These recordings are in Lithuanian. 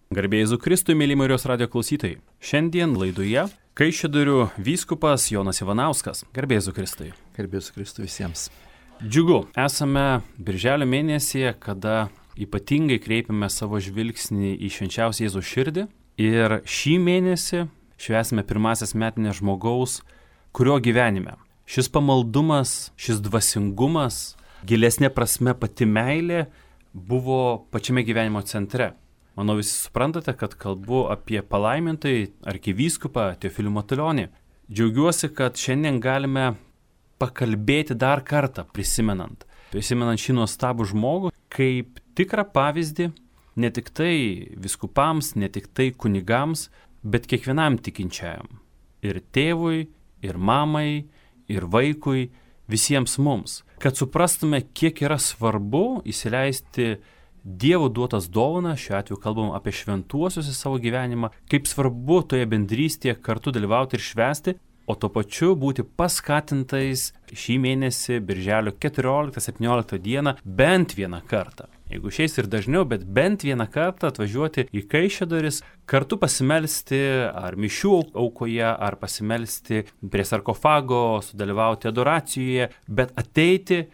Garbė Jėzui Kristui, mėly Marijos radijo klausytojai. Šiandien laidoje Kaišiadorių vyskupas Jonas Ivanauskas. Garbė Jėzui Kristui. Garbė Jėzui Kristui visiems. Džiugu, esame birželio mėnesyje, kada ypatingai kreipiame savo žvilgsnį į švenčiausią Jėzaus širdį. Ir šį mėnesį švęsime pirmasias metinės žmogaus, kurio gyvenime šis pamaldumas, šis dvasingumas, gilesnė prasme pati meilė buvo pačiame gyvenimo centre. Manau, visi suprantate, kad kalbu apie palaimintai arkivyskupą Teofilių Matulionį. Džiaugiuosi, kad šiandien galime pakalbėti dar kartą, prisimenant šį nuostabų žmogų, kaip tikrą pavyzdį ne tik tai vyskupams, ne tik tai kunigams, bet kiekvienam tikinčiajam. Ir tėvui, ir mamai, ir vaikui, visiems mums. Kad suprastume, kiek yra svarbu įsileisti Dievo duotas dovanas, šiuo atveju kalbam apie šventuosius į savo gyvenimą, kaip svarbu toje bendrystėje kartu dalyvauti ir švęsti, o tuo pačiu būti paskatintais šį mėnesį, birželio 14-17 dieną, bent vieną kartą. Jeigu išeis ir dažniau, bet bent vieną kartą atvažiuoti į Kaišiadoris, kartu pasimelsti ar mišių aukoje, ar pasimelsti prie sarkofago, sudalyvauti adoracijoje, bet ateiti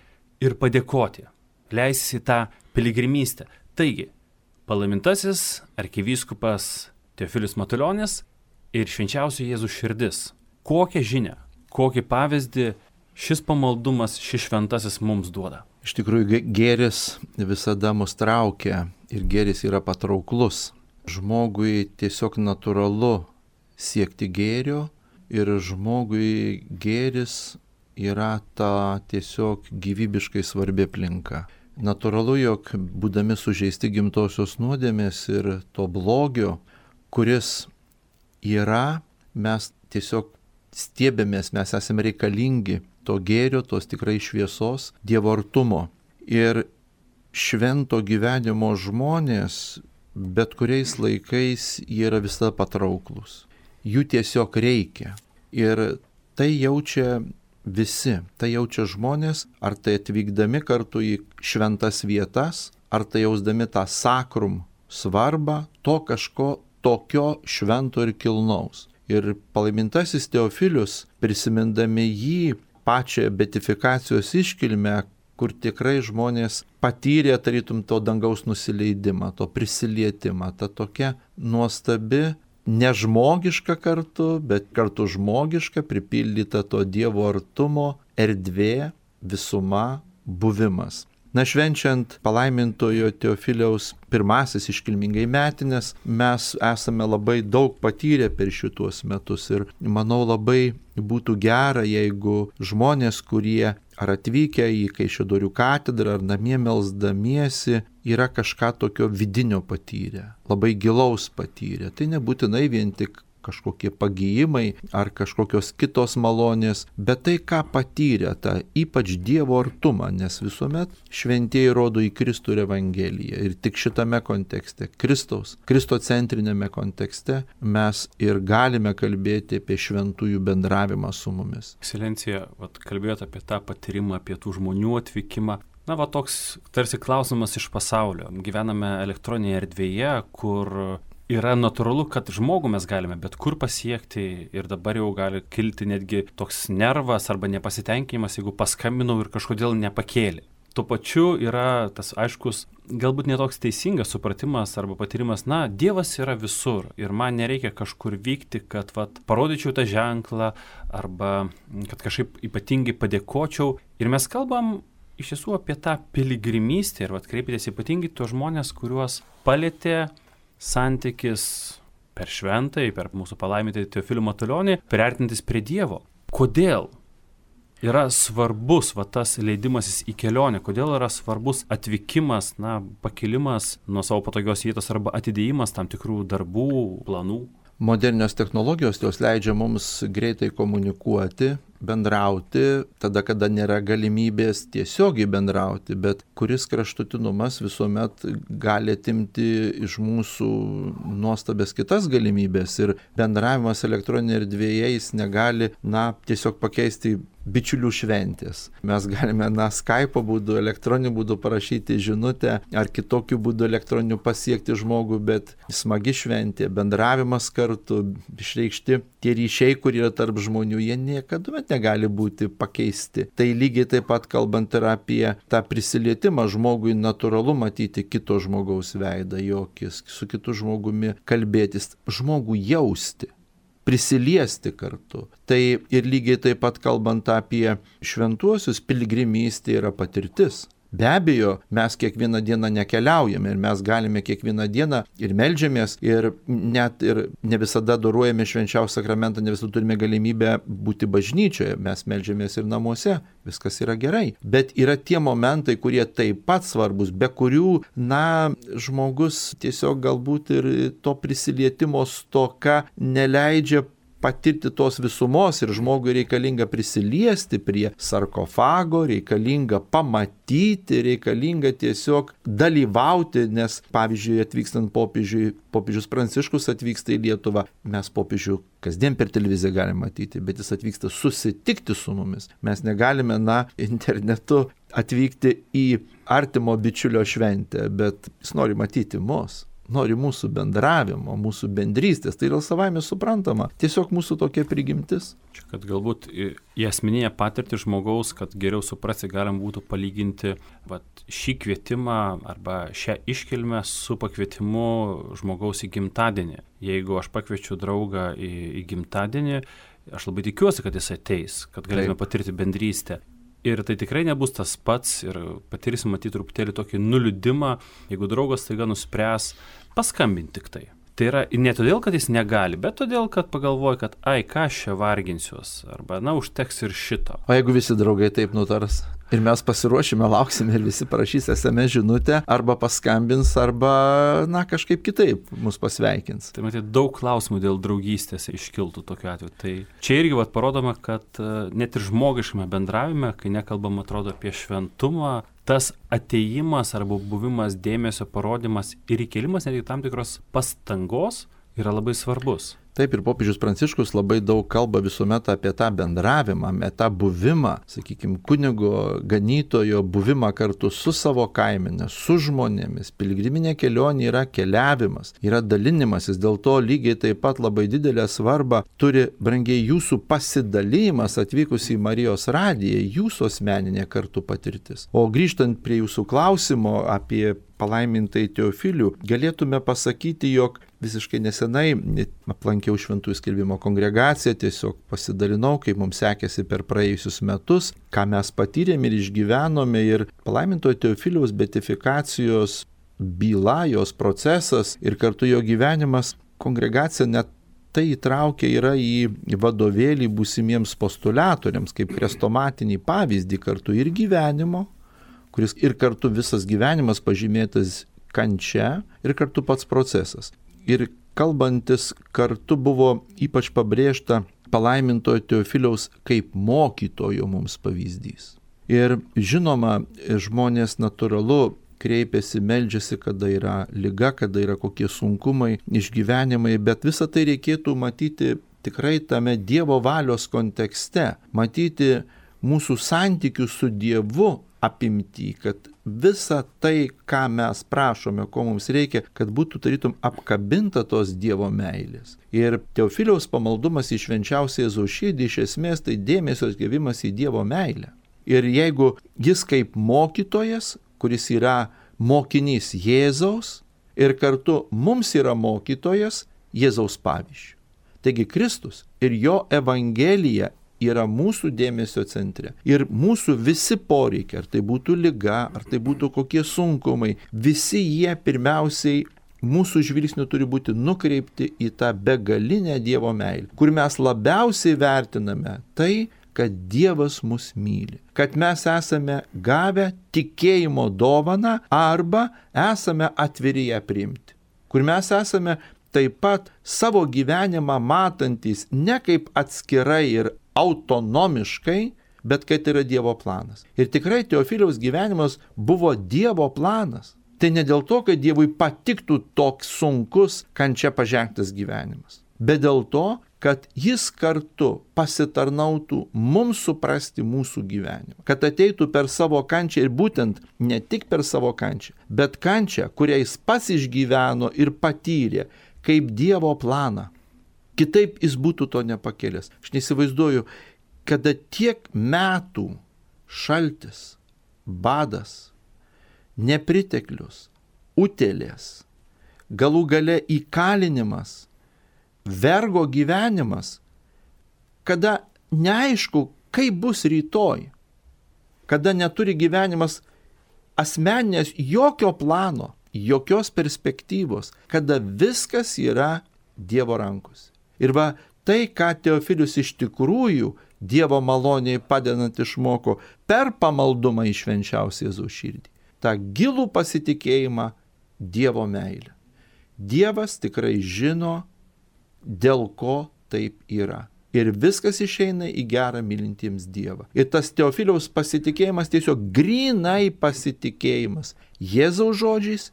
ir padėkoti, leisis į tą piligrimystę. Taigi, palaimintasis arkivyskupas Teofilius Matulionis ir švenčiausio Jėzaus širdis. Kokią žinią, kokį pavyzdį šis pamaldumas, šis šventasis mums duoda? Iš tikrųjų, gėris visada mus traukia ir gėris yra patrauklus. Žmogui tiesiog natūralu siekti gėrio ir žmogui gėris yra ta tiesiog gyvybiškai svarbi aplinka. Natūralu, jog būdami sužeisti gimtosios nuodėmės ir to blogio, kuris yra, mes tiesiog stiebėmės, mes esame reikalingi to gėrio, tos tikrai šviesos, Dievo artumo. Ir švento gyvenimo žmonės bet kuriais laikais jie yra visada patrauklus. Jų tiesiog reikia. Ir tai jaučia visi, tai jaučia žmonės, ar tai atvykdami kartu į šventas vietas, ar tai jausdami tą sakrum svarbą, to kažko tokio švento ir kilnaus. Ir palaimintasis Teofilius, prisimindami jį pačią beatifikacijos iškilmę, kur tikrai žmonės patyrė tarytum to dangaus nusileidimą, to prisilietimą, ta tokia nuostabi, nežmogiška kartu, bet kartu žmogiška, pripildyta to Dievo artumo, erdvė, visuma, buvimas. Na, švenčiant palaimintojo Teofiliaus pirmasis iškilmingai metinės, mes esame labai daug patyrę per šituos metus ir manau labai būtų gera, jeigu žmonės, kurie ar atvykę į Kaišiadorių katedrą, ar namie melsdamiesi, yra kažką tokio vidinio patyrę, labai gilaus patyrę. Tai nebūtinai vien tik kažkokie pagijimai ar kažkokios kitos malonės, bet tai, ką patyrė, tą ypač Dievo artumą, nes visuomet šventieji rodo į Kristų ir Evangeliją. Ir tik šitame kontekste, kristocentrinėme kontekste, mes ir galime kalbėti apie šventųjų bendravimą su mumis. Ekscelencija, kalbėjote apie tą patyrimą, apie tų žmonių atvykimą. Na, toks tarsi klausimas iš pasaulio. Gyvename elektroninėje erdvėje, kur yra natūralu, kad žmogų mes galime bet kur pasiekti ir dabar jau gali kilti netgi toks nervas arba nepasitenkinimas, jeigu paskambinau ir kažkodėl nepakėlė. Tuo pačiu yra tas aiškus, galbūt netoks teisingas supratimas arba patyrimas, Dievas yra visur ir man nereikia kažkur vykti, kad parodyčiau tą ženklą arba kad kažkaip ypatingai padėkočiau. Ir mes kalbam iš tiesų apie tą piligrimystę ir kreipėtės ypatingai tuos žmonės, kuriuos palėtė santykis per šventąjį, per mūsų palaimintąjį Teofilių Matulionį, priartintis prie Dievo. Kodėl yra svarbus tas leidimasis į kelionę, kodėl yra svarbus atvykimas, pakilimas nuo savo patogios vietos arba atidėjimas tam tikrų darbų, planų? Modernios technologijos jos leidžia mums greitai komunikuoti, bendrauti tada, kada nėra galimybės tiesiogiai bendrauti, bet kuris kraštutinumas visuomet gali atimti iš mūsų nuostabės kitas galimybės ir bendravimas elektroninėje erdvėje jis negali, tiesiog pakeisti bičiulių šventės. Mes galime, Skype'o būdu, elektroniniu būdu parašyti žinutę ar kitokiu būdu elektroniniu pasiekti žmogų, bet smagi šventė, bendravimas kartu, išreikšti tie ryšiai, kurie yra tarp žmonių, jie niekada negali būti pakeisti. Tai lygiai taip pat kalbant ir apie tą prisilietimą, žmogui natūralu matyti kito žmogaus veidą, jo akis, su kitu žmogumi kalbėtis, žmogų jausti, prisiliesti kartu. Tai ir lygiai taip pat kalbant apie šventuosius, piligrimystė yra patirtis. Be abejo, mes kiekvieną dieną nekeliaujame ir mes galime kiekvieną dieną ir meldžiamės ir net ir ne visada dorojame švenčiausią sakramentą, ne visada turime galimybę būti bažnyčioje, mes meldžiamės ir namuose, viskas yra gerai. Bet yra tie momentai, kurie taip pat svarbus, be kurių, žmogus tiesiog galbūt ir to prisilietimo stoka neleidžia patirti tos visumos ir žmogui reikalinga prisiliesti prie sarkofago, reikalinga pamatyti, reikalinga tiesiog dalyvauti, nes pavyzdžiui atvykstant popiežius Pranciškus atvyksta į Lietuvą, mes popiežių kasdien per televiziją galime matyti, bet jis atvyksta susitikti su mumis. Mes negalime, internetu atvykti į artimo bičiulio šventę, bet jis nori matyti mus. Nori mūsų bendravimo, mūsų bendrystės, tai yra savaime suprantama, tiesiog mūsų tokia prigimtis. Čia, kad galbūt į asmeninę patirtį žmogaus, kad geriau suprasti, galim būtų palyginti šį kvietimą arba šią iškilmę su pakvietimu žmogaus į gimtadienį. Jeigu aš pakviečiu draugą į gimtadienį, aš labai tikiuosi, kad jis ateis, kad galėtume patirti bendrystę. Ir tai tikrai nebus tas pats ir patirsim matyti truputėlį tokį nuliūdimą, jeigu draugas taiga nuspręs paskambinti tik tai. Tai yra ne todėl, kad jis negali, bet todėl, kad pagalvoja, kad ką aš čia varginsiuos, arba užteks ir šito. O jeigu visi draugai taip nutars ir mes pasiruošime, lauksime ir visi parašys SMS žinutę, arba paskambins, arba kažkaip kitaip mus pasveikins. Tai matyti, daug klausimų dėl draugystės iškiltų tokiu atveju. Tai čia irgi parodoma, kad net ir žmogiškame bendravime, kai nekalbam atrodo apie šventumą, tas atėjimas arba buvimas, dėmesio parodymas ir įkėlimas netgi tam tikros pastangos yra labai svarbus. Taip, ir popiežius Pranciškus labai daug kalba visuomet apie tą bendravimą, apie tą buvimą, sakykime, kunigo, ganytojo buvimą kartu su savo kaimenė, su žmonėmis. Piligriminė kelionė yra keliavimas, yra dalinimasis, dėl to lygiai taip pat labai didelę svarbą turi, brangiai, jūsų pasidalymas atvykus į Marijos radiją, jūsų asmeninė kartu patirtis. O grįžtant prie jūsų klausimo apie palaimintai Teofilių, galėtume pasakyti, jog visiškai nesenai aplankiau Šventųjų skelbimo kongregaciją, tiesiog pasidalinau, kaip mums sekėsi per praėjusius metus, ką mes patyrėme ir išgyvenome, ir palaimintojo Teofiliaus beatifikacijos byla, jos procesas ir kartu jo gyvenimas, kongregacija net tai įtraukia yra į vadovėlį būsimiems postuliatoriams, kaip krestomatinį pavyzdį kartu ir gyvenimo, kuris ir kartu visas gyvenimas pažymėtas kančia ir kartu pats procesas. Ir kalbantis kartu buvo ypač pabrėžta palaimintojo Teofiliaus kaip mokytojo mums pavyzdys. Ir žinoma, žmonės natūralu kreipiasi, meldžiasi, kada yra liga, kada yra kokie sunkumai, išgyvenimai, bet visą tai reikėtų matyti tikrai tame Dievo valios kontekste, matyti mūsų santykių su Dievu apimti, kad visa tai, ką mes prašome, ko mums reikia, kad būtų tarytum apkabinta tos Dievo meilės. Ir Teofiliaus pamaldumas į švenčiausią Jėzaus širdį iš esmės tai dėmesio atgavimas į Dievo meilę. Ir jeigu jis kaip mokytojas, kuris yra mokinys Jėzaus ir kartu mums yra mokytojas Jėzaus pavyzdžiu. Taigi Kristus ir jo Evangelija yra mūsų dėmesio centre. Ir mūsų visi poreikiai, ar tai būtų liga, ar tai būtų kokie sunkumai, visi jie pirmiausiai mūsų žvilgsniu turi būti nukreipti į tą begalinę Dievo meilę, kur mes labiausiai vertiname tai, kad Dievas mus myli, kad mes esame gavę tikėjimo dovaną arba esame atviri ją priimti, kur mes esame taip pat savo gyvenimą matantys ne kaip atskirai ir autonomiškai, bet kad yra Dievo planas. Ir tikrai Teofiliaus gyvenimas buvo Dievo planas. Tai ne dėl to, kad Dievui patiktų toks sunkus kančia pažengtas gyvenimas, bet dėl to, kad jis kartu pasitarnautų mums suprasti mūsų gyvenimą. Kad ateitų per savo kančią ir būtent ne tik per savo kančią, bet kančią, kurią jis pats išgyveno ir patyrė kaip Dievo planą. Kitaip jis būtų to nepakėlęs. Aš neįsivaizduoju, kada tiek metų šaltis, badas, nepriteklius, utėlės, galų gale įkalinimas, vergo gyvenimas, kada neaišku, kaip bus rytoj, kada neturi gyvenimas asmeninės jokio plano, jokios perspektyvos, kada viskas yra Dievo rankose. Ir va tai, ką Teofilius iš tikrųjų Dievo maloniai padedant išmoko per pamaldumą į švenčiausią Jėzaus širdį. tą gilų pasitikėjimą Dievo meilę. Dievas tikrai žino, dėl ko taip yra. Ir viskas išeina į gerą mylintiems Dievą. Ir tas Teofiliaus pasitikėjimas tiesiog grynai pasitikėjimas Jėzaus žodžiais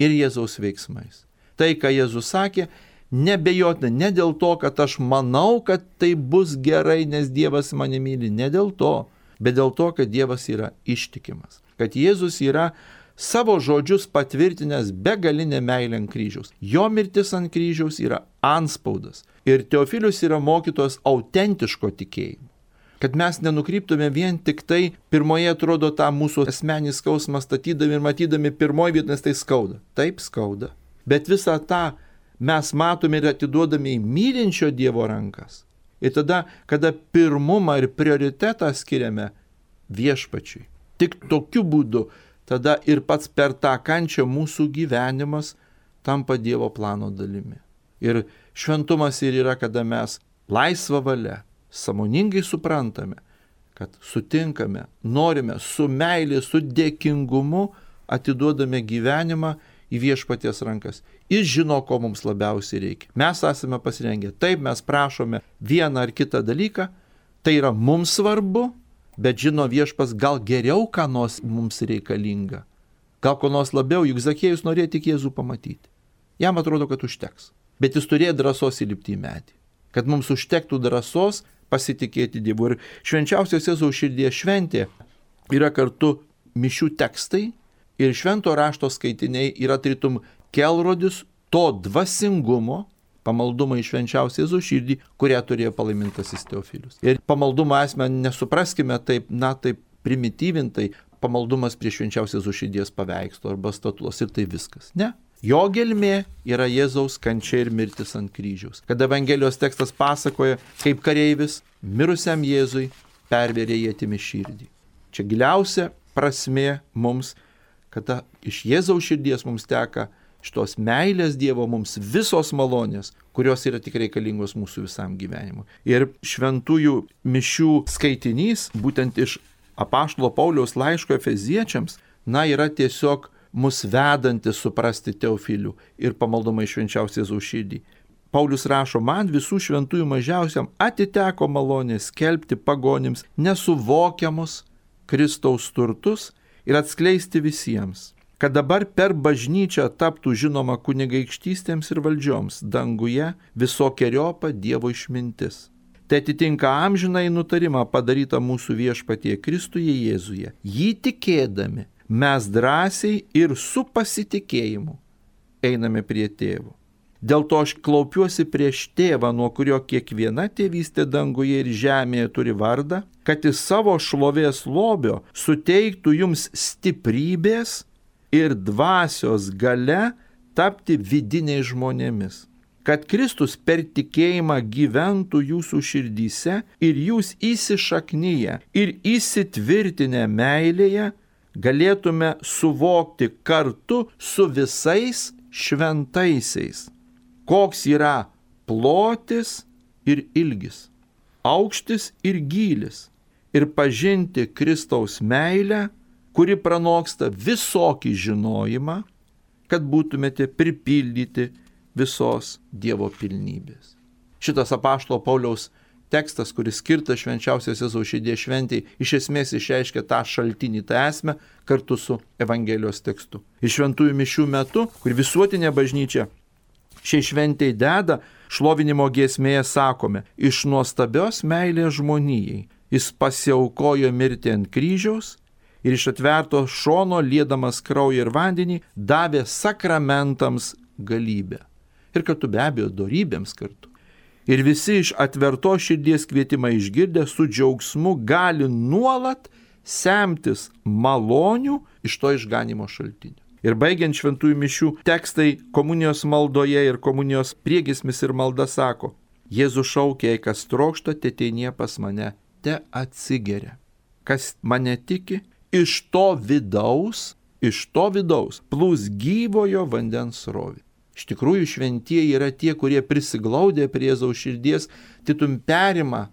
ir Jėzaus veiksmais. Tai, ką Jėzus sakė, nebejotina, ne dėl to, kad aš manau, kad tai bus gerai, nes Dievas mane myli, ne dėl to, bet dėl to, kad Dievas yra ištikimas. Kad Jėzus yra savo žodžius patvirtinęs begalinę meilę ant kryžiaus. Jo mirtis ant kryžiaus yra antspaudas. Ir Teofilius yra mokytojas autentiško tikėjimo. Kad mes nenukryptume vien tik tai, pirmoje atrodo tą mūsų asmenį skausmą statydami ir matydami pirmoje vietoje, nes tai skauda. Taip skauda. Bet visą tą mes matome ir atiduodame į mylinčio Dievo rankas. Ir tada, kada pirmumą ir prioritetą skiriame viešpačiui. Tik tokiu būdu tada ir pats per tą kančią mūsų gyvenimas tampa Dievo plano dalimi. Ir šventumas ir yra, kada mes laisvą valią, sąmoningai suprantame, kad sutinkame, norime su meilė, su dėkingumu atiduodame gyvenimą į viešpaties rankas. Jis žino, ko mums labiausiai reikia. Mes esame pasirengę. Taip, mes prašome vieną ar kitą dalyką, tai yra mums svarbu, bet žino viešpas gal geriau, ką nors mums reikalinga. Gal ko nors labiau, juk Zachiejus norėjo tik Jėzų pamatyti. Jam atrodo, kad užteks. Bet jis turėjo drąsos įlipti į medį. Kad mums užtektų drąsos pasitikėti Dievu. Ir švenčiausios Jėzaus širdies šventė yra kartu mišių tekstai ir švento rašto skaitiniai yra tarytum kelrodis to dvasingumo, pamaldumą į švenčiausią Jėzaus širdį, kurią turėjo palaimintasis Teofilius. Ir pamaldumą esmę nesupraskime taip, taip primityvintai, pamaldumas prie švenčiausios Jėzaus širdies paveikslo arba statulos ir tai viskas. Ne. Jo gelmė yra Jėzaus kančia ir mirtis ant kryžiaus. Kad Evangelijos tekstas pasakoja, kaip kareivis mirusiam Jėzui pervėrė ietimi širdį. Čia giliausia prasmė mums, kad iš Jėzaus širdies mums teka šitos meilės Dievo mums visos malonės, kurios yra tik reikalingos mūsų visam gyvenimui. Ir šventųjų mišių skaitinys, būtent iš apaštalo Pauliaus laiško Efeziečiams, yra tiesiog mus vedantis suprasti Teofilių ir pamaldumą į švenčiausią Jėzaus širdį. Paulius rašo, man visų šventųjų mažiausiam atiteko malonė skelbti pagonims nesuvokiamus Kristaus turtus ir atskleisti visiems, kad dabar per bažnyčią taptų žinoma kunigaikštystėms ir valdžioms danguje visokeriopą Dievo išmintis. Tai atitinka amžinai nutarimą padarytą mūsų viešpatie Kristuje Jėzuje. Jį tikėdami mes drąsiai ir su pasitikėjimu einame prie tėvo. Dėl to aš klaupiuosi prieš tėvą, nuo kurio kiekviena tėvystė danguje ir žemėje turi vardą, kad iš savo šlovės lobio suteiktų jums stiprybės ir dvasios gale tapti vidiniais žmonėmis. Kad Kristus per tikėjimą gyventų jūsų širdyse ir jūs įsišaknyje ir įsitvirtinę meilėje galėtume suvokti kartu su visais šventaisiais, koks yra plotis ir ilgis, aukštis ir gylis, ir pažinti Kristaus meilę, kuri pranoksta visokį žinojimą, kad būtumėte pripildyti visos Dievo pilnybės. Šitas apaštalo Pauliaus tekstas, kuris skirtas švenčiausios Jėzaus širdies šventei, iš esmės išreiškia tą šaltinį, tą esmę kartu su Evangelijos tekstu. Ir šventųjų mišių metu, kur visuotinė bažnyčia šiai šventei deda, šlovinimo giesmėje sakome, iš nuostabios meilės žmonijai jis pasiaukojo mirti ant kryžiaus ir iš atverto šono, liedamas kraują ir vandenį, davė sakramentams galybę. Ir kartu be abejo dorybėms kartu. Ir visi iš atvertos širdies kvietimą išgirdę su džiaugsmu gali nuolat semtis malonių iš to išganimo šaltinio. Ir baigiant šventųjų mišių tekstai komunijos maldoje ir komunijos priegiesmis ir malda sako, Jėzus šaukia, kas trokšta, teteinie pas mane, te atsigeria. Kas mane tiki, iš to vidaus plūs gyvojo vandens srovė. Iš tikrųjų šventieji yra tie, kurie prisiglaudė prie Jėzaus širdies, titum perima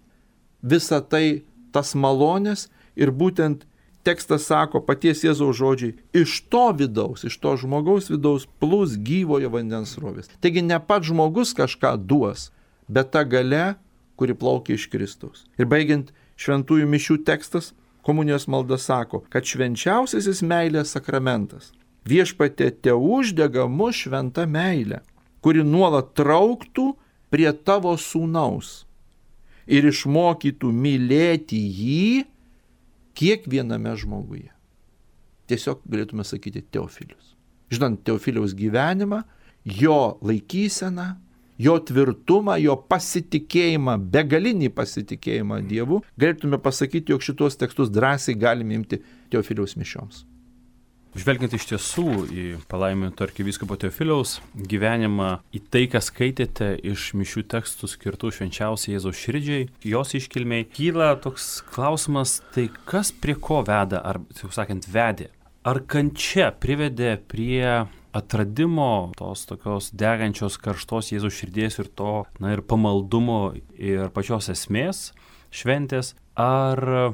visą tai, tas malonės ir būtent tekstas sako, paties Jėzaus žodžiai, iš to vidaus, iš to žmogaus vidaus plūs gyvojo vandens srovės. Taigi ne pats žmogus kažką duos, bet ta galia, kuri plaukia iš Kristaus. Ir baigiant šventųjų mišių tekstas, komunijos malda sako, kad švenčiausiasis meilės sakramentas viešpatie te uždega mus šventa meilė, kuri nuolat trauktų prie tavo sūnaus ir išmokytų mylėti jį kiekviename žmoguje. Tiesiog galėtume sakyti Teofilius. Žinant Teofiliaus gyvenimą, jo laikyseną, jo tvirtumą, jo pasitikėjimą, begalinį pasitikėjimą Dievu, galėtume pasakyti, jog šitos tekstus drąsiai galime imti Teofiliaus mišioms. Žvelgiant iš tiesų į palaiminto arkivyskupo Teofiliaus gyvenimą, į tai, ką skaitėte iš mišių tekstų skirtų švenčiausiai Jėzaus širdžiai, jos iškilmiai, kyla toks klausimas, tai kas prie ko veda, ar, taip sakant, vedė? Ar kančia privedė prie atradimo tos tokios degančios karštos Jėzaus širdies ir to, ir pamaldumo ir pačios esmės šventės, ar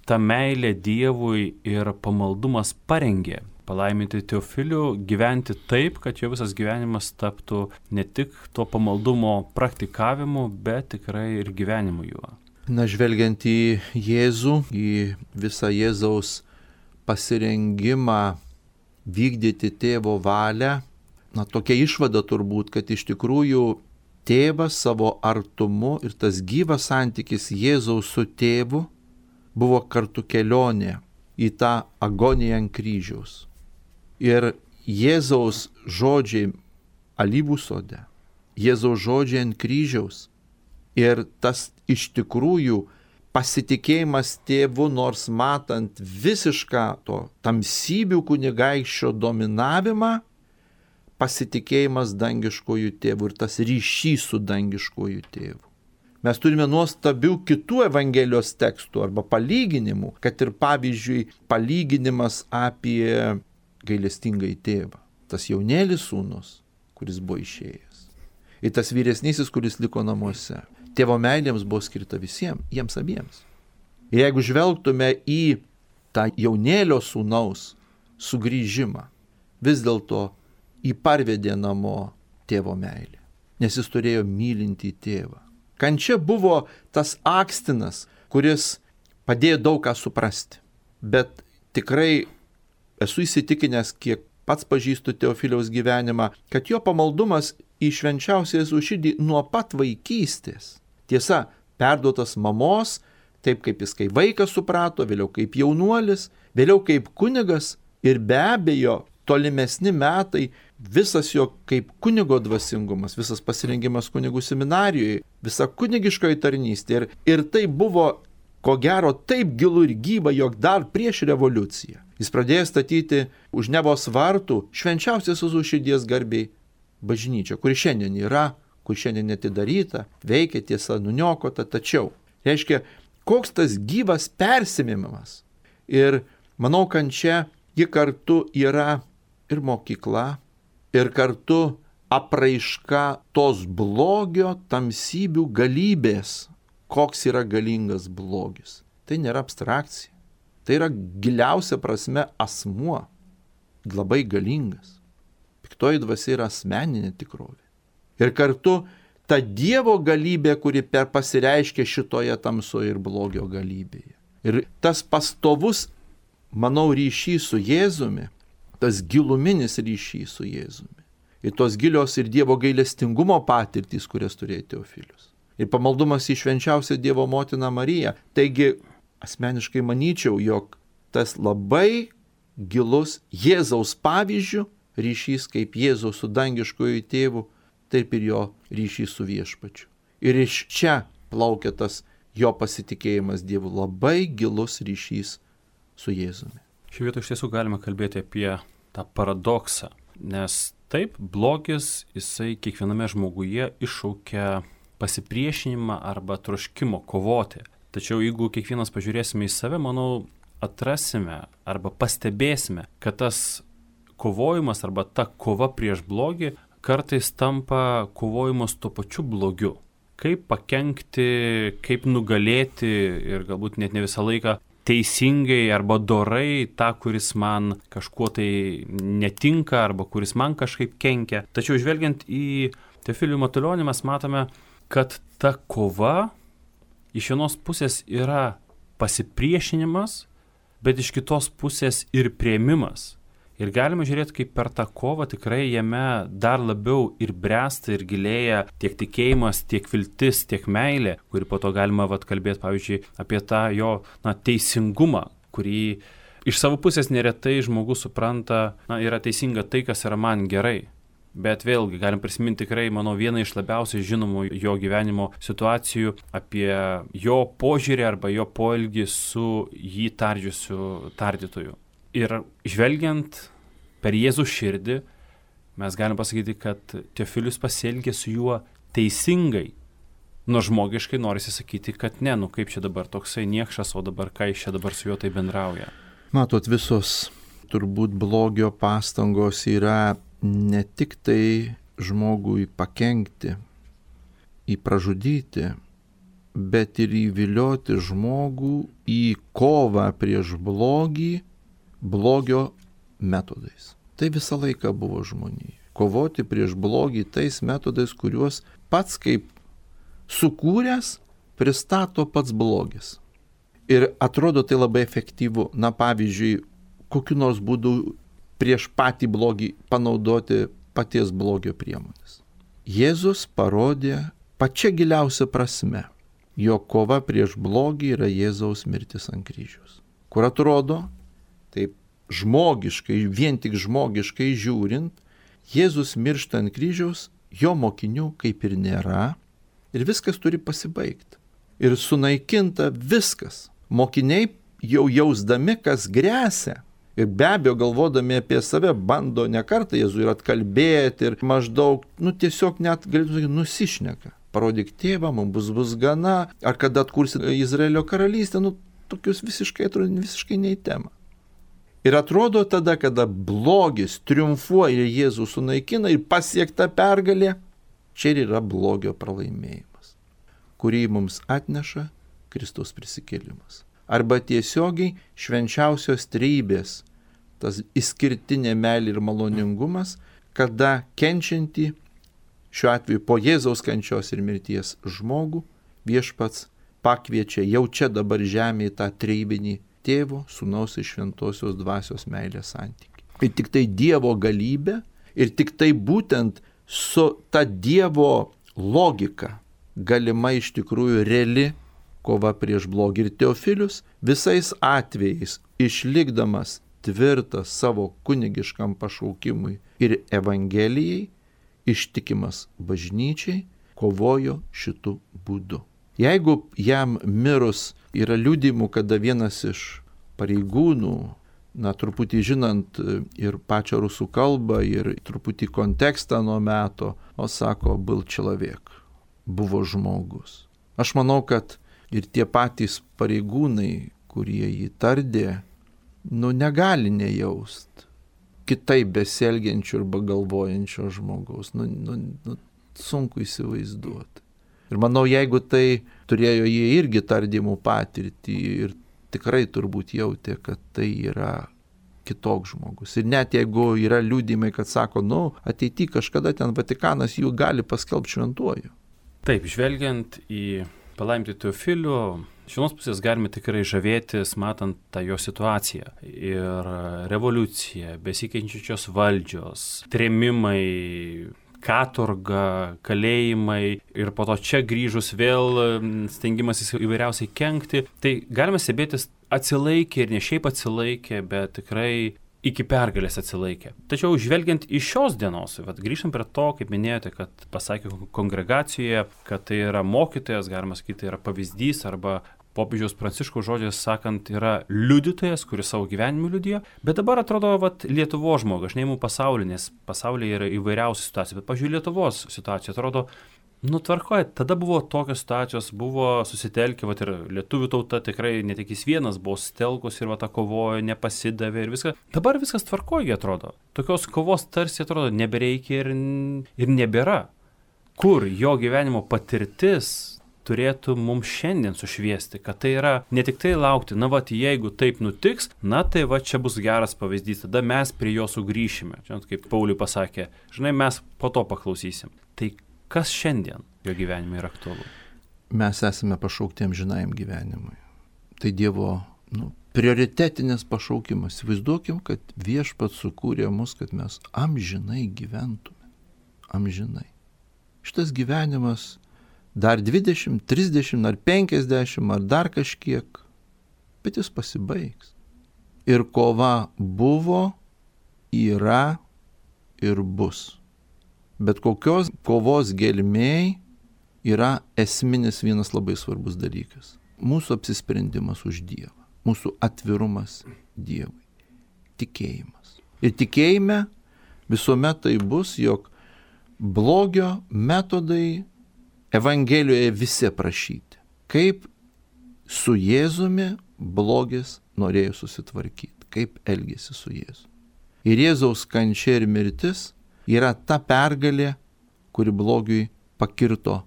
ta meilė Dievui ir pamaldumas parengė palaiminti Teofilių gyventi taip, kad jo visas gyvenimas taptų ne tik to pamaldumo praktikavimu, bet tikrai ir gyvenimu juo? Na, žvelgiant į Jėzų, į visą Jėzaus pasirengimą vykdyti tėvo valią, tokia išvada turbūt, kad iš tikrųjų tėvas savo artumu ir tas gyvas santykis Jėzaus su tėvu buvo kartu kelionė į tą agoniją ant kryžiaus. Ir Jėzaus žodžiai alyvų sode, Jėzaus žodžiai ant kryžiaus ir tas iš tikrųjų pasitikėjimas tėvu, nors matant visišką to tamsybių kunigaikščio dominavimą, pasitikėjimas dangiškojų tėvų ir tas ryšys su dangiškojų tėvu. Mes turime nuostabių kitų Evangelijos tekstų arba palyginimų, kad ir pavyzdžiui palyginimas apie gailestingąjį tėvą. Tas jaunėlis sūnus, kuris buvo išėjęs. Ir tas vyresnysis, kuris liko namuose. Tėvo meilėms buvo skirta visiems, jiems abiems. Ir jeigu žvelgtume į tą jaunėlio sūnaus sugrįžimą, vis dėlto jį parvedė namo tėvo meilė, nes jis turėjo mylintį tėvą. Kančia buvo tas akstinas, kuris padėjo daug ką suprasti. Bet tikrai esu įsitikinęs, kiek pats pažįstu Teofiliaus gyvenimą, kad jo pamaldumas į švenčiausią Jėzaus širdį nuo pat vaikystės. Tiesa, perduotas mamos, taip kaip jis kaip vaikas suprato, vėliau kaip jaunuolis, vėliau kaip kunigas ir be abejo tolimesni metai, visas jo kaip kunigo dvasingumas, visas pasirengimas kunigų seminarijoje, visa kunigiškoji tarnystė. Ir tai buvo, ko gero, taip gilu ir gyva, jog dar prieš revoliuciją jis pradėjo statyti už Nevos vartų švenčiausios Jėzaus širdies garbiai bažnyčią, kuri šiandien yra, kur šiandien atidaryta, veikia, tiesa nuniokota, tačiau, reiškia, koks tas gyvas persimimimas. Ir manau, kad čia ji kartu yra ir mokykla, ir kartu apraiška tos blogio tamsybių galybės, koks yra galingas blogis. Tai nėra abstrakcija, tai yra giliausia prasme asmuo, labai galingas. Piktoji dvasia yra asmeninė tikrovė. Ir kartu ta Dievo galybė, kuri pasireiškia šitoje tamsoje ir blogio galybėje. Ir tas pastovus, manau, ryšys su Jėzumi, tas giluminis ryšys su Jėzumi. Ir tos gilios ir Dievo gailestingumo patirtys, kurias turėjo Teofilius. Ir pamaldumas į švenčiausią Dievo motiną Mariją. Taigi, asmeniškai manyčiau, jog tas labai gilus Jėzaus pavyzdžių ryšys kaip Jėzaus su dangiškoju tėvu, taip ir jo ryšys su viešpačiu. Ir iš čia plaukia tas jo pasitikėjimas Dievu, labai gilus ryšys su Jėzumi. Šioje vietoje iš tiesų galime kalbėti apie tą paradoksą, nes taip, blogis, jisai kiekviename žmoguje iššaukia pasipriešinimą arba troškimo kovoti. Tačiau jeigu kiekvienas pažiūrėsime į save, manau, atrasime arba pastebėsime, kad tas kovojimas arba ta kova prieš blogį kartais tampa kovojimas tuo pačiu blogiu. Kaip pakenkti, kaip nugalėti ir galbūt net ne visą laiką teisingai arba dorai tą, kuris man kažkuo tai netinka arba kuris man kažkaip kenkia. Tačiau žvelgiant į Teofilių Matulionį mes matome, kad ta kova iš vienos pusės yra pasipriešinimas, bet iš kitos pusės ir priėmimas. Ir galime žiūrėti, kaip per tą kovą tikrai jame dar labiau ir bręsta ir gilėja tiek tikėjimas, tiek viltis, tiek meilė, kuri po to galima kalbėti, pavyzdžiui, apie tą jo teisingumą, kurį iš savo pusės neretai žmogus supranta, yra teisinga tai, kas yra man gerai. Bet vėlgi galim prisiminti tikrai, manau, vieną iš labiausiai žinomų jo gyvenimo situacijų apie jo požiūrį arba jo poelgį su jį tardžiusiu tardytoju. Ir žvelgiant per Jėzų širdį, mes galim pasakyti, kad Teofilius pasielgė su juo teisingai. Nors žmogiškai norisi sakyti, kad ne, kaip čia dabar toksai niekšas, o dabar ką iš čia dabar su juo tai bendrauja. Matot, visos turbūt blogio pastangos yra ne tik tai žmogui pakenkti, pražudyti, bet ir įvilioti žmogų į kovą prieš blogį, blogio metodais. Tai visą laiką buvo žmonijai. Kovoti prieš blogį tais metodais, kuriuos pats kaip sukūręs pristato pats blogis. Ir atrodo tai labai efektyvu. Pavyzdžiui, kokiu nors būdu prieš patį blogį panaudoti paties blogio priemonės. Jėzus parodė pačia giliausia prasme, jo kova prieš blogį yra Jėzaus mirtis ant kryžiaus. Kur atrodo, taip žmogiškai, vien tik žmogiškai žiūrint, Jėzus miršta ant kryžiaus, jo mokinių kaip ir nėra ir viskas turi pasibaigti. Ir sunaikinta viskas. Mokiniai jau jausdami, kas gresia, ir be abejo galvodami apie save bando ne kartą Jėzų ir atkalbėti ir maždaug, tiesiog net galėtų sakyti, nusišneka. Parodyk tėvą, mums bus gana, ar kada atkursi Izraelio karalystę, tokius visiškai ne į temą. Ir atrodo tada, kada blogis triumfuoja, Jėzų sunaikina ir pasiekta pergalė, čia ir yra blogio pralaimėjimas, kurį mums atneša Kristaus prisikėlimas. Arba tiesiogiai švenčiausios trejybės, tas išskirtinė meilė ir maloningumas, kada kenčiantį, šiuo atveju po Jėzaus kančios ir mirties žmogų, viešpats pakviečia jau čia dabar žemėje tą trejybinį Tėvo, Sūnaus ir Šventosios dvasios meilės santykį. Ir tik tai Dievo galybė, ir tik tai būtent su ta Dievo logika galima iš tikrųjų reali kova prieš blogį. Ir Teofilius visais atvejais, išlikdamas tvirtas savo kunigiškam pašaukimui ir Evangelijai, ištikimas bažnyčiai, kovojo šitų būdų. Jeigu jam mirus yra liudymų, kada vienas iš pareigūnų, truputį žinant ir pačią rusų kalbą, ir truputį kontekstą nuo meto, sako, был человек, buvo žmogus. Aš manau, kad ir tie patys pareigūnai, kurie jį tardė, negali nejaust kitaip besielgiančio arba galvojančio žmogaus. Sunku įsivaizduoti. Ir manau, jeigu tai turėjo jie irgi tardymų patirtį ir tikrai turbūt jautė, kad tai yra kitoks žmogus. Ir net jeigu yra liudymai, kad sako, ateityje kažkada ten Vatikanas jų gali paskelbti šventuoju. Taip, žvelgiant į palaimintąjį Teofilių, iš vienos pusės galime tikrai žavėtis, matant tą jo situaciją. Ir revoliucija, besikeičiančios valdžios, trėmimai, katorga, kalėjimai ir po to čia grįžus vėl stengimasis įvairiausiai kenkti. Tai galime stebėtis atsilaikė ir ne šiaip atsilaikė, bet tikrai iki pergalės atsilaikė. Tačiau žvelgiant iš šios dienos, grįžtant prie to, kaip minėjote, kad pasakė kongregacijoje, kad tai yra mokytojas, galima sakyti, tai yra pavyzdys arba popiežiaus Pranciškaus žodžiais sakant, yra liudytojas, kuris savo gyvenimu liudijo, bet dabar atrodo, Lietuvos žmogus, aš neimu pasaulį, nes pasaulyje yra įvairiausių situacijų, bet, pažiūrėjau, Lietuvos situacija atrodo, tvarkoja, tada buvo tokios situacijos, buvo susitelkę, ir lietuvių tauta tikrai ne tik jis vienas buvo susitelkus ir kovojo, nepasidavė ir viskas. Dabar viskas tvarkoja, atrodo. Tokios kovos tarsi atrodo nebereikia ir nebėra. Kur jo gyvenimo patirtis turėtų mums šiandien sušviesti, kad tai yra ne tik tai laukti, jeigu taip nutiks, tai čia bus geras pavyzdys, tada mes prie jo sugrįšime. Žinot, kaip Pauliui pasakė, mes po to paklausysim. Tai kas šiandien jo gyvenime yra aktualu? Mes esame pašaukti amžinajam gyvenimui. Tai Dievo prioritetinis pašaukimas. Įsivaizduokim, kad Viešpats sukūrė mus, kad mes amžinai gyventume. Amžinai. Šitas gyvenimas dar 20, 30 ar 50 ar dar kažkiek, bet jis pasibaigs. Ir kova buvo, yra ir bus. Bet kokios kovos gelmėj yra esminis vienas labai svarbus dalykas. Mūsų apsisprendimas už Dievą, mūsų atvirumas Dievui, tikėjimas. Ir tikėjime visuomet tai bus, jog blogio metodai Evangelijoje visi aprašyti. Kaip su Jėzumi blogis norėjo susitvarkyti, kaip elgėsi su Jėzumi. Ir Jėzaus kančia ir mirtis yra ta pergalė, kuri blogiui pakirto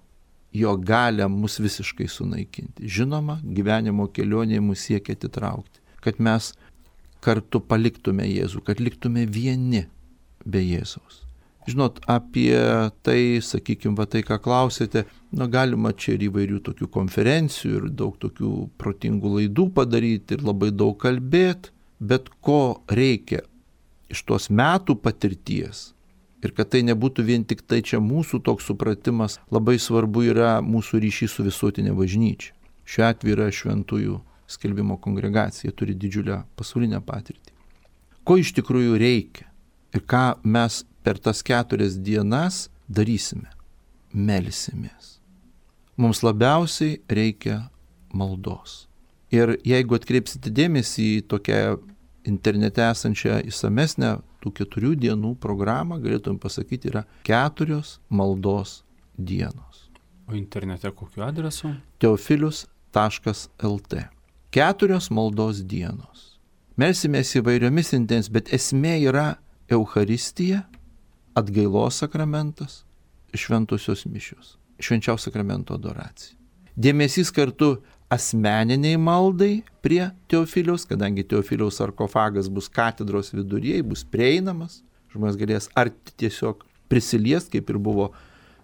jo galią mus visiškai sunaikinti. Žinoma, gyvenimo kelionėje mus siekia atitraukti, kad mes kartu paliktume Jėzų, kad liktume vieni be Jėzaus. Žinot, apie tai, sakykime, tai, ką klausėte, galima čia ir įvairių tokių konferencijų ir daug tokių protingų laidų padaryti ir labai daug kalbėti, bet ko reikia iš tos metų patirties ir kad tai nebūtų vien tik tai čia mūsų toks supratimas, labai svarbu yra mūsų ryšys su visuotinė bažnyčia. Šiuo atveju yra Šventųjų skelbimo kongregacija, turi didžiulę pasaulinę patirtį. Ko iš tikrųjų reikia ir ką mes per tas 4 dienas darysime? Melsimės. Mums labiausiai reikia maldos. Ir jeigu atkreipsite dėmesį į tokią internete esančią įsamesnę tų 4 dienų programą, galėtum pasakyti, yra 4 maldos dienos. O internete kokiu adresu? Teofilius.lt 4 maldos dienos. Melsimės įvairiomis intensijomis, bet esmė yra Eucharistija, atgailos sakramentas, šventosios mišios, švenčiausio sakramento adoracija. Dėmesys kartu asmeniniai maldai prie Teofiliaus, kadangi Teofiliaus sarkofagas bus katedros viduryje, bus prieinamas, žmonės galės ar tiesiog prisiliest, kaip ir buvo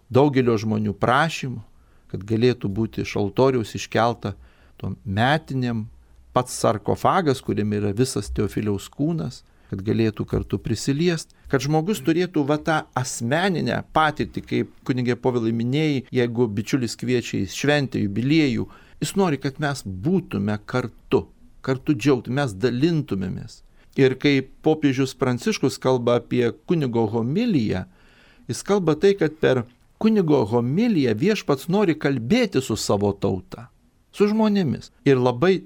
daugelio žmonių prašymų, kad galėtų būti iš altoriaus iškelta tom metiniam pats sarkofagas, kuriame yra visas Teofiliaus kūnas, kad galėtų kartu prisiliest, kad žmogus turėtų tą asmeninę patirtį, kaip kunigė Povilai minėjai, jeigu bičiulis kviečia į šventę, jubiliejų, jis nori, kad mes būtume kartu džiaugtume, mes dalintumėmės. Ir kai popiežius Pranciškus kalba apie kunigo homiliją, jis kalba tai, kad per kunigo homiliją Viešpats nori kalbėti su savo tauta, su žmonėmis. Ir labai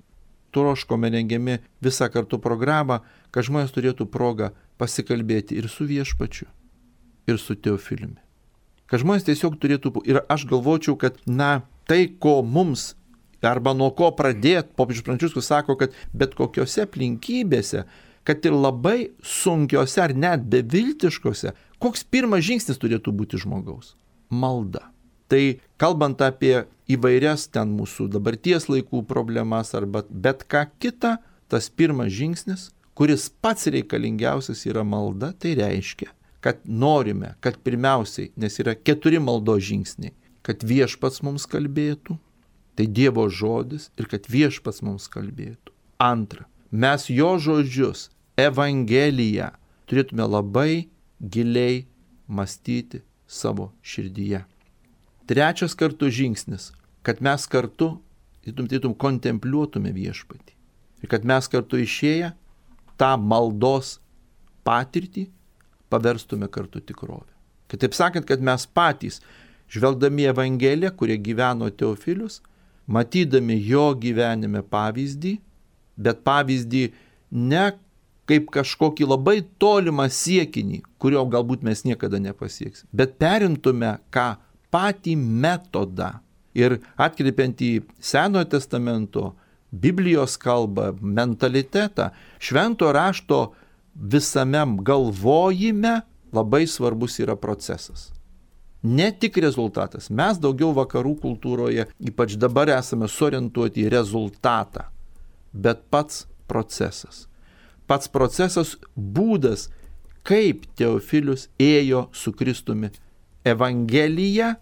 troškome rengiami visą kartu programą, kad žmonės turėtų progą pasikalbėti ir su Viešpačiu, ir su Teofiliumi. Kad žmonės tiesiog turėtų, ir aš galvočiau, kad tai, ko mums, arba nuo ko pradėti, popiežius Pranciškus sako, kad bet kokiose aplinkybėse, kad ir labai sunkiose ar net beviltiškose, koks pirmas žingsnis turėtų būti žmogaus? Malda. Tai kalbant apie įvairias ten mūsų dabarties laikų problemas arba bet ką kitą, tas pirmas žingsnis, kuris pats reikalingiausias yra malda, tai reiškia, kad norime, kad pirmiausiai, nes yra 4 maldos žingsniai, kad viešpats mums kalbėtų, tai Dievo žodis ir kad viešpats mums kalbėtų. Antra, mes jo žodžius, Evangeliją, turėtume labai giliai mąstyti savo širdyje. Trečias kartu žingsnis, kad mes kartu kontempliuotume viešpatį. Ir kad mes kartu išėję tą maldos patirtį paverstume kartu tikrovę. Kitaip sakant, kad mes patys, žvelgdami Evangeliją, kurie gyveno Teofilius, matydami jo gyvenime pavyzdį, bet pavyzdį ne kaip kažkokį labai tolimą siekinį, kurio galbūt mes niekada nepasieksim, bet perimtume ką patį metodą ir atkreipiant į Senojo testamento, Biblijos kalbą, mentalitetą, švento rašto visame galvojime labai svarbus yra procesas. Ne tik rezultatas. Mes daugiau vakarų kultūroje, ypač dabar esame suorientuoti į rezultatą, bet pats procesas. Pats procesas, būdas, kaip Teofilius ėjo su Kristumi Evangeliją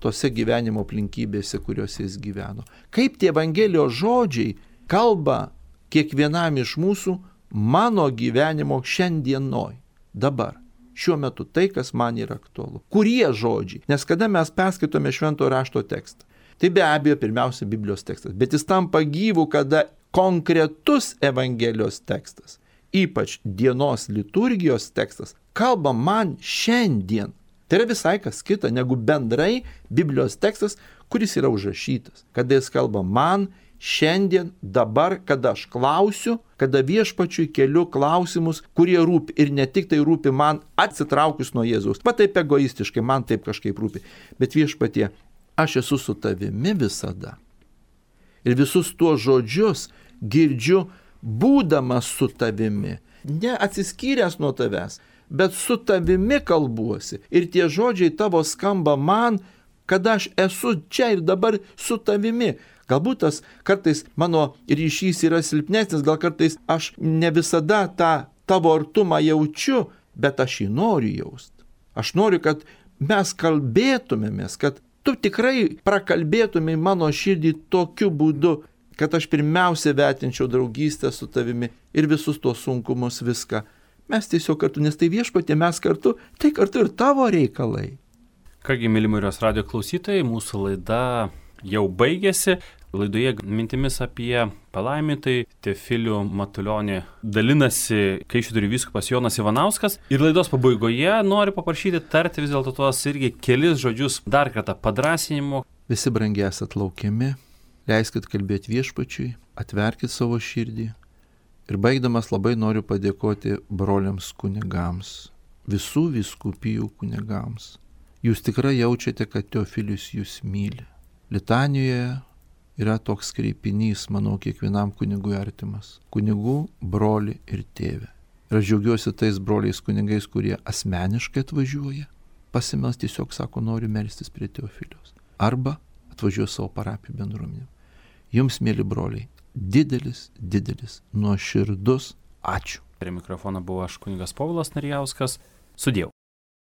tose gyvenimo aplinkybėse, kuriuose jis gyveno. Kaip tie Evangelijos žodžiai kalba kiekvienam iš mūsų mano gyvenimo šiandienoj, dabar, šiuo metu, tai, kas man yra aktualu. Kurie žodžiai? Nes kada mes perskaitome švento rašto tekstą, tai be abejo pirmiausia Biblijos tekstas, bet jis tampa gyvu, kada konkretus Evangelijos tekstas, ypač dienos liturgijos tekstas, kalba man šiandien. Tai yra visai kas kita negu bendrai Biblijos tekstas, kuris yra užrašytas. Kada jis kalba man šiandien, dabar, kada aš klausiu, kada viešpačiui keliu klausimus, kurie rūpi ir ne tik tai rūpi man atsitraukus nuo Jėzaus. Va taip egoistiškai, man taip kažkaip rūpi. Bet viešpatie, aš esu su tavimi visada. Ir visus tuos žodžius girdžiu būdamas su tavimi, ne atsiskyręs nuo tavęs, bet su tavimi kalbuosi. Ir tie žodžiai tavo skamba man, kada aš esu čia ir dabar su tavimi. Galbūt tas kartais mano ryšys yra silpnesnis, gal kartais aš ne visada tą tavo artumą jaučiu, bet aš jį noriu jausti. Aš noriu, kad mes kalbėtumėmės, kad tu tikrai prakalbėtumai mano širdį tokiu būdu, kad aš pirmiausia vertinčiau draugystę su tavimi ir visus tuos sunkumus viską. Mes tiesiog kartu, nes tai viešpatie, mes kartu, tai kartu ir tavo reikalai. Kągi, mėly Marijos radijo klausytojai, mūsų laida jau baigėsi. Laidoje mintimis apie palaimintai Teofilių Matulionį dalinasi Kaišiadorių vyskupas Jonas Ivanauskas. Ir laidos pabaigoje noriu paprašyti tarti vis dėlto tuos irgi kelis žodžius dar kartą padrąsinimo. Visi brangiai esat laukiami, leiskit kalbėti viešpačiui, atverkit savo širdį. Ir baigdamas labai noriu padėkoti broliams kunigams, visų vyskupijų kunigams. Jūs tikrai jaučiate, kad Teofilius jūs myli. Litanijoje yra toks kreipinys, manau, kiekvienam kunigui artimas. Kunigų, broli ir tėvė. Ir aš džiaugiuosi tais broliais kunigais, kurie asmeniškai atvažiuoja. Pasimels tiesiog sako, noriu melstis prie Teofiliaus. Arba atvažiuoja savo parapijų bendruomenėm. Jums, mėly broliai, didelis, nuoširdus ačiū. Prie mikrofono buvo aš kunigas Povilas Narijauskas. Sudieu.